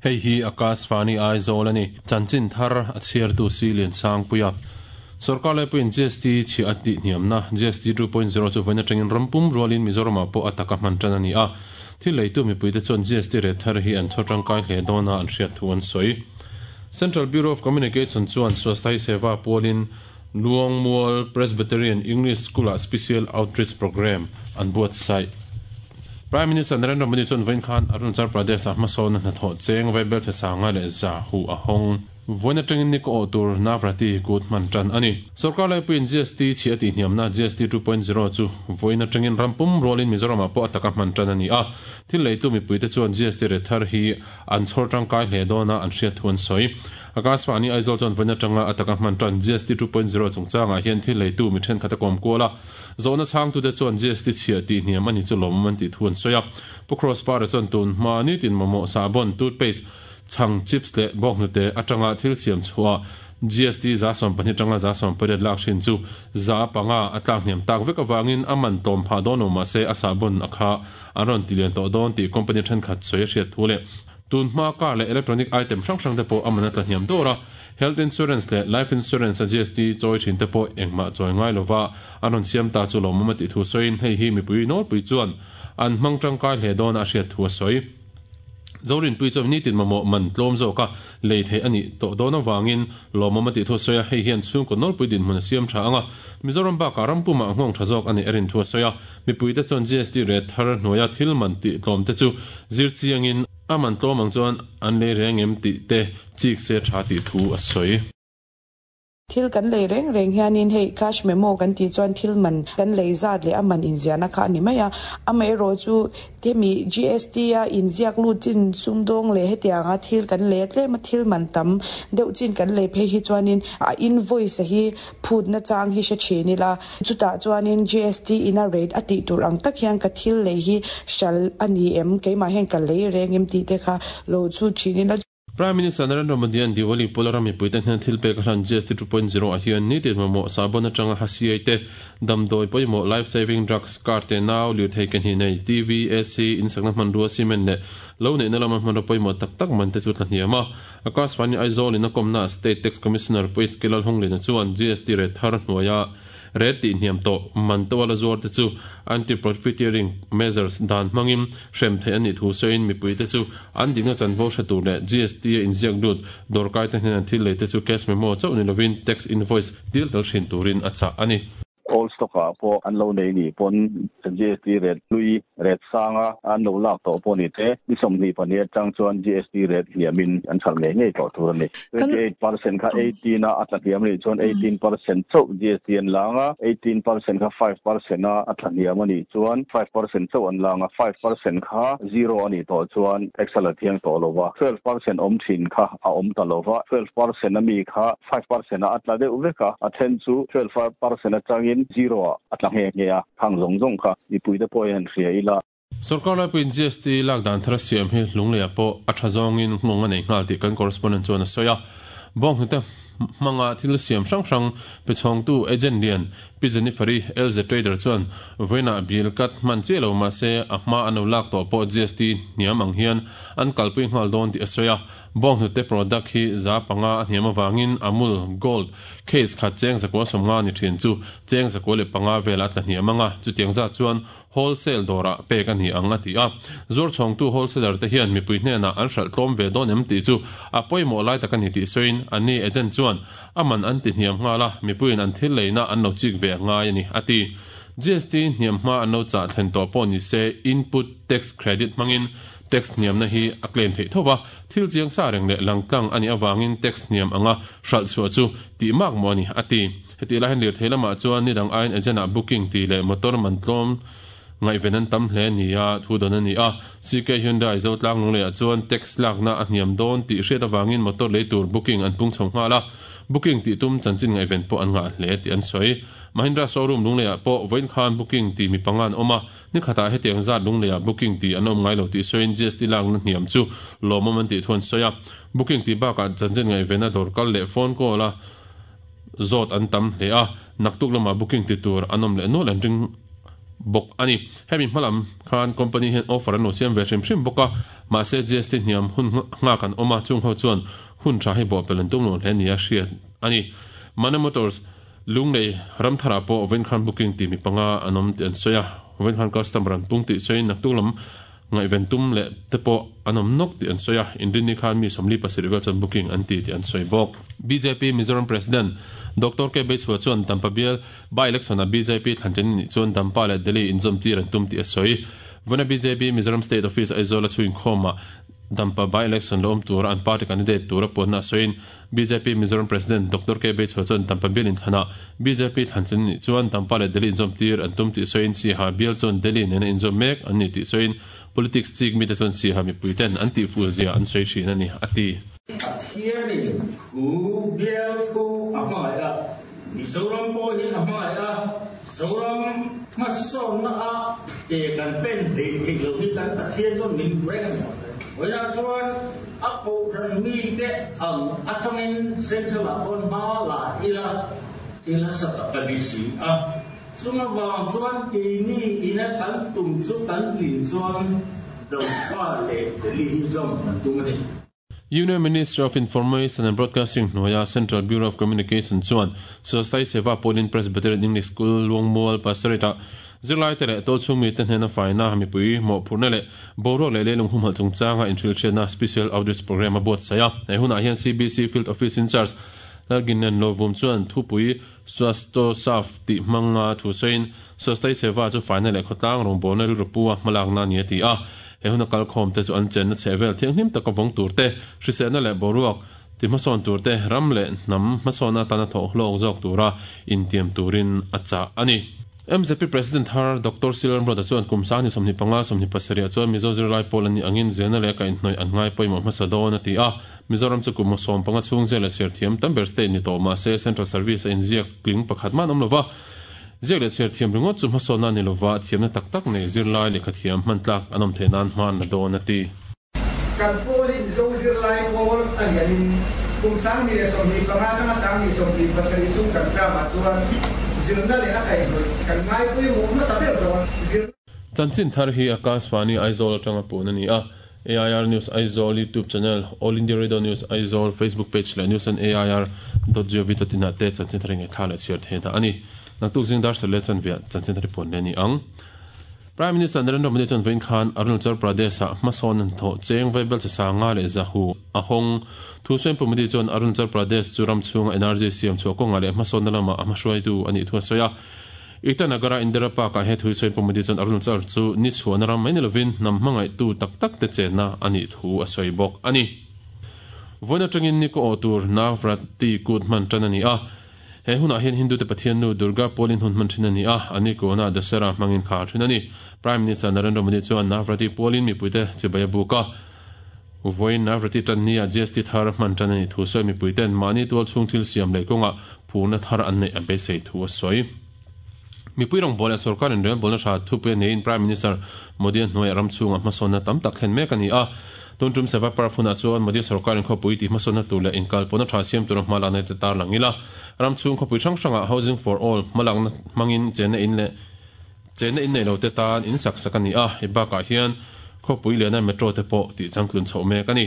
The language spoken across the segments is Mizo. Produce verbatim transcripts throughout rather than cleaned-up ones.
Hei hi Akashvani Aizawl ani chanchin thar a chhiartu si lian sang puia Sarkar laipui G S T chi ati hniamna G S T two point zero chu vawiin atangin rampum rualin Mizoram ah pawh a taka hman tan ani a thil leitu mipuite chuan G S T rate thar hi an chhaw tangkai hle dawna an hriat thu an sawi Central Bureau of Communication chuan Swasthai Seva pualin Luangmual Presbyterian English School ah Special Outreach Program an buatsaih Prime Minister Narendra Modi chuan vawiin khan Arunachal Pradesh ah hmasawn a hnathawh cheng vaibel che sanga leh za hu a hawng vawiin atangin ni ko tur Navrati kut hman tan ani Sarkar laipuiin G S T chi ati hniamna G S T two point zero chu vawiin atangin rampum rualin Mizoram ah pawh a taka hman tan ani a thil leitu mipuite chuan G S T rate thar hi an chhawr tangkai hle dawna an hriat thu an sawi Akashvani Aizawl chuan vawiin atanga a taka hman tan G S T two point zero chungchangah hian thil leitu mi then khata kawm kuala zawhna chhangtute chuan G S T chhia ti hniam ani chu lawm an tih thu an sawi a Pu Cross Par chuan tun hma ni tin mamawh sabon toothpaste chhang chips le bawk hnute atanga thil siam chhuah G S T za sawm pahnih atanga za sawm pariat lak hrin chu za panga a tlak hniam tak vek awangin a man tawm phah dawn lo mahse a sabon a kha an rawn ti lian tawh dawn tih company thenkhat sawi a hriat thu le tun hma car le electronic item hrang hrang te pawh a man a tla hniam dawr a health insurance le life insurance a G S T chawi thin te pawh engmah chawi ngai lova an rawn siam ta chu lawmawm a tih thu sawiin hei hi mipui nawlpui chuan an hmang tangkai hle dawn a hriat thu a sawi Zorin pui chuan ni tin mamawh man tlawm zawka lei thei ani tawh dawn awangin lawmawm a tih thu a sawi a hei hian chhungkaw nawlpui dinhmun a siam tha anga Mizoram bakah rampumah nghawng tha zawk ani erin thu a sawi a mipuite chuan G S T rate thar hnuaia thil man tih tlawm te chu zir chiangin a man tlawm ang chuan an lei reng em tih te chik se tha tih thu a sawi Thil kan lei reng reng hianin hei cash memo kan tih chuan thil man kan lei zat leh a man inziahna kha ani mai a amah erawh chu hemi G S T a inziak lut chin sumdawng leh hetianga thil kan lei a tlem a thil man tam deuh chin kan lei phei hi chuanin a invoice a hi phutna chang hi hre thin ila chutah chuanin G S T in a rate a tih tur ang tak hian ka thil lei hi hral ani em keimah hian ka lei reng em tih te kha lo chu thin ila Prime Minister Narendra Modi an Diwali Polaram mipuite hnen thil pek a hlan G S T two point zero ah hian ni tin mamawh sabon atanga hasiai te damdawi pawimawh life saving drugs car te nau lir thei ke hnih nei T V A C insakna hmanrua cement leh lo neihna lama hmanrua pawimawh tak tak man te chu tla hniam a Akashvani Aizawl in a kawmna State Tax Commissioner Pu H K Lalhunglina chuan G S T rate thar hnuaia rate tih hniam tawh man to ala zuar te chu anti-profiteering measures dan hmangin hrem thei ani thu sawiin mipuite chu an dingna chanvo hre tur leh G S T a inziak lut dawrkai te hnen an thil lei te chu cash memo chauh ni lovin tax invoice dil tel hrin turin a chah ani Old stock ah pawh an lo nei ni pawn G S T rate hlui rate sanga an lo lak tawh pawh ni te ni sawmhnih pahnih atang chuan G S T rate hniamin an hralh ngei ngei tawh tur ani twenty-eight percent kha eighteen a a tla hniam anih chuan eighteen percent chauh G S T an lang a eighteen percent kha five percent a a tla hniam anih chuan five percent chauh an lang a five percent kha zero anih tawh chuan tax a la thiang tawh lova twelve percent awm thin kha a awm ta lova twelve percent ami kha five percent a a tla deuh vek a a then chu twelve percent atangin zero a tla nge nge a khang zawng zawng kha mipuite pawh hian hria ila Sarkar laipuiin G S T lak dan thar siam hi lungleia pawh a tha zawngin nghawng a nei nghal tih kan correspondent chuan a sawi a bawng hnute hmanga thil siam hrang hrang pe chhawngtu agent lian Pi Jennifer-i L Z Trader chuan vawiinah bill cut hman chiah lo mahse a hma an lo lak tawh pawh G S T hniam ang hian an kalpui nghal dawn tih a sawi a bawng hnute product hi za panga a hniam awangin Amul Gold case khat cheng zakua sawmnga ni thin chu cheng zakua leh panga vel a tla hniam anga chutiang zat chuan wholesale dawrah pek ani ang a ti a zuar chhawngtu wholesaler te hian mipui hnenah an hralh tlawm ve dawn em tih chu a pawimawh lai tak ani tih sawiin anni agent chuan aman an ti hniam nghal a mipuiin an thil leina an lo chik ve ngai ani a ti G S T hniam hma an lo chah thlen tawh pawh ni se input tax credit hmangin tax hniam na hi a claim theih thova thil chiang sa reng leh langtlang ani awangin tax hniam anga hralh chhuah chu tih mak maw ani a ti heti lai hian lir thei lamah chuan ni dang aiin agent ah booking ti leh motor man tlawm ngai venan tam hle ni a thu dawn ani a C K Hyundai zo tlang lung leh ah chuan tax lakna a hniam dawn tih hriat awangin motor lei tur booking an pung chho nghal a booking tih tum chanchin ngai ven pawh an ngah hle tih an sawi Mahindra showroom lung leh ah pawh vawiin khan booking ti mi panga an awm a ni khatah hetiang zat lung leh ah booking ti an awm ngai lo tih sawiin G S T lakna hniam chu lawmawm an tih thu an sawi a booking tih bakah chanchin ngai vena dawr kal leh phone call a zot an tam hle a naktuk lama booking ti tur anom le no lan ring bok ani hemi hmalam khan company hen offer an lo siam ve hrim hrim boka ma se G S T hniam hun nga kan oma chung ho chuan hun tha hi bo pelan tum lo hle nia hriat ani Mana Motors lunglei ramthara po ven khan booking ti mi panga anom ti an soya ven khan customer an pung ti soin naktuk lam ngai ventum le tepo anom nok ti an soya indin ni khan mi somli pasir vel chan booking an ti ti an soi bok B J P Mizoram President Doctor K Bechua chuan Dampa bial by election a B J P thlanchen ni chuan Dampa le Delhi inzom ti ran tum ti a soi vana B J P Mizoram State Office Aizawl a chuin khoma Dampa by election lom tur an party candidate tur ponna soin B J P Mizoram President Doctor K Bechua chuan Dampa bial in thana B J P thlanchen ni chuan Dampa le Delhi inzom tir an tum ti soin si ha bial chuan Delhi nena inzom mek an ni ti soin politics chik mi te chuan si ha mi puiten an ti fu zia an soi thin ani ati thiani hu bial ku amai a Mizoram po hi amai a Zoram ma son na a e kan pen de thei lo hi kan pathian chuan min reng Oya chuan a ko ran mi te ang atangin central a pon ma la ila ila sa ka bi si a chunga wang chuan ke ni ina kan tum chu kan tin chuan do pa le Delhi hi zom kan tum ani Union Ministry of Information and Broadcasting Noya Central Bureau of Communication chuan Swasthai Seva Polin Presbyterian English School Luangmual Pastorita zirlai te le to chungmi te hnena faina hami pui mo phurna le boro le lelung hum hal chungchanga introduction special outreach program a bot saya he huna hian C B C Field Office in charge lalginen lovum chuan thupui swasto saf ti manga thu soin Swasthai Seva chu faina le khotlang rong bona ru rupuwa malak na ni ti a he huna kal khom te chu an chen na chevel thianghlim taka vong tur te hrisena le boruak ti hmasawn tur te ram le nam hmasawna tana tho hlawk zawk tura intiam turin acha ani M Z P President har Doctor Silan Broda chuan kumsa ni somni panga somni pasaria chuan Mizo zirlai pawl ani angin zena le ka inhnoi an ngai pawimawh hmasa dawn a ti a Mizoram chu kum sawm panga chhung zel a ser thiam tamber state ni tawh mahse Central Service a inziak tling pakhat man awm lova ziak le ser thiam ringawt chu hmasawna ni lova thiamna tak tak nei zirlai lehkha thiam hman tlak an awm theih nan hman la dawn a ti kan pawlin Mizo zirlai pawl a lianin kum sang ni le sawmni panga atanga sang ni sawmni pasarih chung kan tlamah chuan zirna le a kaihhnawih kan ngai pawimawh hmasa ber dawn zir Chanchin thar hi Akashvani Aizawl atanga pun ani a A I R News Aizawl YouTube channel All India Radio News Aizawl Facebook page le news and A I R dot gov dot in te chanchin thar nge thala chiar the da ani naktuk jing dar sale chan via chanchin thar pun le ni ang Prime Minister Narendra Modi chuan vein khan Arunachal Pradesh a hmasawn an thaw cheng vaibel cha sanga le zahu a hawng thu sawi pu Modi chuan Arunachal Pradesh chu ram chhunga energy siam chhuah kawnga leh hmasawnna lama a hmahruaitu ani thu a sawi a Itanagara Indira Park a he thu sawi pu Modi chuan Arunachal chu ni chhuahna ram mai ni lovin hnam hmangaih tu tak tak te chenna ani thu a sawi bawk ani Vawiin atangin ni ko aw tur Navratri kut hman tan ani a he hunah hian Hindu te Pathian nu Durga Polin hun hman thin ani a ani ko na Dasara hmangin khar thin ani Prime Minister Narendra Modi chuan Navratri Polin mipuite chibai buka Vawiin Navratri tan ni a G S T thar hman tan ani thu sawi mipuiten mani tual chhung thil siam lei kawnga phurna thar an nei a beisei thu a sawi mipui rong bol a sarkar in rel bolna tha thu pe nein Prime Minister Modi a hnuai ram chhunga hmasawna tam tak thlen mek ani a tuntum seva parfuna chuan Modi sarkar in khawpui ti hmasawna tur leh inkal pawna tha siam tur hma lakna te tar langila ram chhung khawpui hrang hranga housing for all hma lakna hmangin chenna in leh chenna in nei lo te tan in sak sak ani a he bakah hian khawpui lehna metro te pawh tih changtlun chhoh mek ani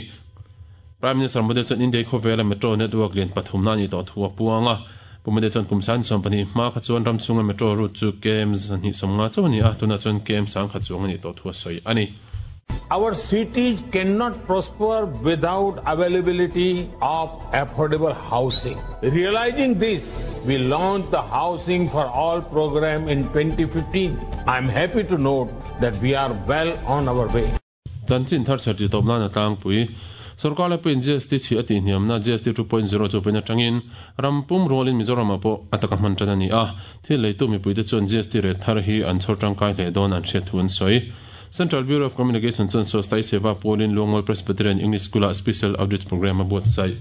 Prime Minister Modi chuan India khawvela metro network lian pathum na ni tawh thu a puanga Pumade chuan kumsan sawm pahnih hma kha chuan ram chhunga metro route chu K M zahnih sawmnga chauh ani a tuna chuan K M sang kha chuang ani tawh thu a sawi ani Our cities cannot prosper without availability of affordable housing. Realizing this, we launched the Housing for All program in twenty fifteen. I am happy to note that we are well on our way. Chanchin thar cherti topna na tlang pui sarkar la pin G S T chi ati hniamna G S T two point zero chu pina tangin rampum rolin Mizoram apo ataka hman tan ani a thil leitu mipui te chuan G S T re thar hi an chhor tangkai hle dawn an hriat thu an sawi Central Bureau of Communication chuan Swasthai Seva Polin Luangmual Presbyterian English School a special outreach program a buat sai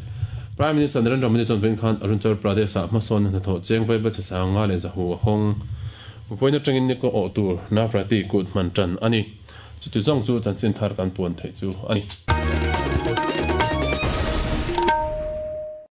Prime Minister Narendra Modi chuan vein khan Arunachal Pradesh a hmasawn hna thaw cheng vaibel cha sanga le zahu a hawng vawiin atangin ni ko aw tur Navratri kut hman tan ani chuti zawng chu chanchin thar kan puan thei chu ani.